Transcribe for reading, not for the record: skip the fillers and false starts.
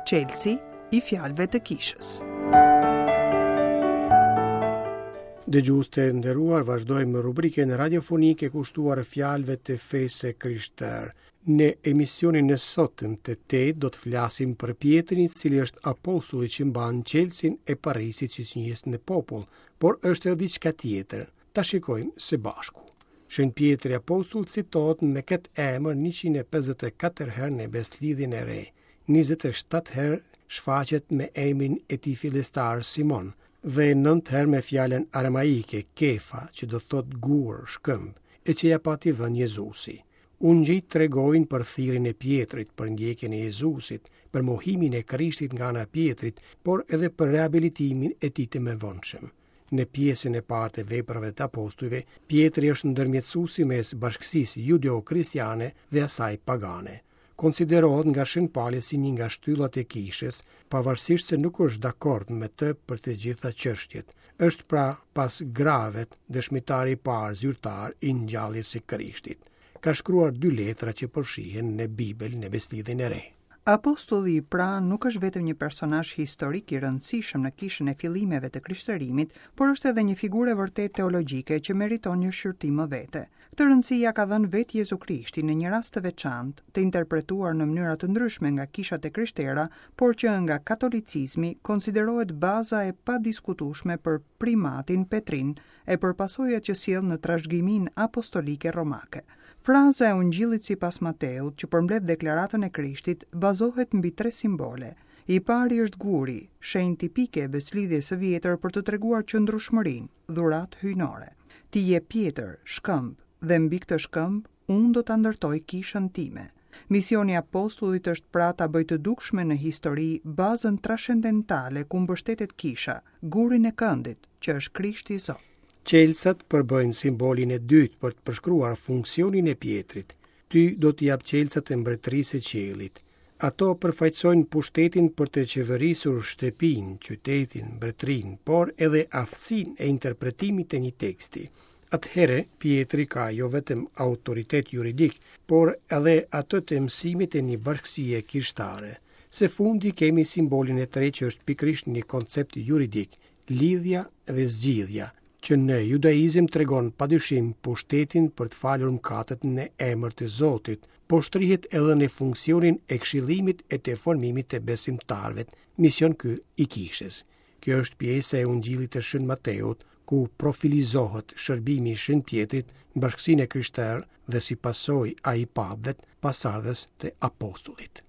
Çelësi i fjalëve të kishës. Dëgjues të nderuar, vazhdojmë me rubrikën radiofonike kushtuar fjalëve të fesë së krishterë. Në emisionin e sotëm të tetë do të flasim për Pjetrin, i cili është apostulli që mban çelësin e parajsës siç njihet në popull, por është edhe diçka tjetër. Ta shikojmë së bashku. Shën Pjetri apostull citohet me këtë emër 154 herë në Besëlidhjen e Re, 27 herë shfaqet me emrin e tij fillestar Simon dhe 9 herë me fjalën aramaike Kefa, që do të thotë gur, shkëmb, e që ia pati vënë Jezusi. Ungjijtë tregojnë për thirrjen e Pjetrit, për ndjekjen e Jezusit, për mohimin e Krishtit nga ana e Pjetrit, por edhe për rehabilitimin e tij të mëvonshëm. Në pjesën e parë të veprave të apostujve, Pjetri është ndërmjetësuesi mes bashkësisë judeo-kristiane dhe asaj pagane. Konsiderohet nga Shën Pali si një nga shtyllat e kishës, pavarësisht se nuk është dakord me të për të gjitha çështjet. Është pra pas gravet dëshmitari i parë zyrtar i ngjalljes së Krishtit. Ka shkruar dy letra që përfshihen në Bibël në Besëlidhjen e Re. Apostulli pra nuk është vetëm një personazh historik i rëndësishëm në kishën e fillimeve të krishterimit, por është edhe një figurë e vërtetë teologjike që meriton një shqyrtim më vete. Këtë rëndësi ia ka dhënë vetë Jezu Krishti në një rast të veçantë, të interpretuar në mënyra të ndryshme nga kishat e krishtera, por që nga katolicizmi konsiderohet baza e padiskutueshme për primatin Petrin e për pasojat që sjell në trashëgiminë apostolike romake. Fraza e Ungjillit sipas Mateut, që përmbledh deklaratën e Krishtit, bazohet mbi tre simbole. I pari është guri, shenjë tipike e Besëlidhjes së Vjetër për të treguar qëndrueshmërinë, dhuratë hyjnore. Ti je Pjetër, shkëmb, dhe mbi këtë shkëmb unë do ta ndërtoj kishën time. Misioni i apostullit është pra ta bëjë të dukshme në histori bazën trashendentale ku mbështetet kisha, gurin e këndit, që është Krishti Zot. Çelësat përbëjnë simbolin e dytë për të përshkruar funksionin e Pjetrit. Ty do t'i jap çelësat e mbretërisë së qiellit. Ato përfaqësojnë pushtetin për të qeverisur shtëpinë, qytetin, mbretërinë, por edhe aftësinë e interpretimit të një teksti. Atëherë, Pjetri ka jo vetëm autoritet juridik, por edhe atë të mësimit të një bashkësie kishtare. Së fundi kemi simbolin e tretë që është pikërisht një koncept juridik, lidhja dhe zgjidhja, që në judaizëm tregon padyshim pushtetin për të falur mëkatet në emër të Zotit, por shtrihet edhe në funksionin e këshillimit e të formimit të besimtarëve, mision ky i kishës. Kjo është pjesa e Ungjillit të Shën Mateut, ku profilizohet shërbimi i Shën Pjetrit në bashkësinë e krishterë dhe si pasojë ai i papëve pasardhës të apostullit.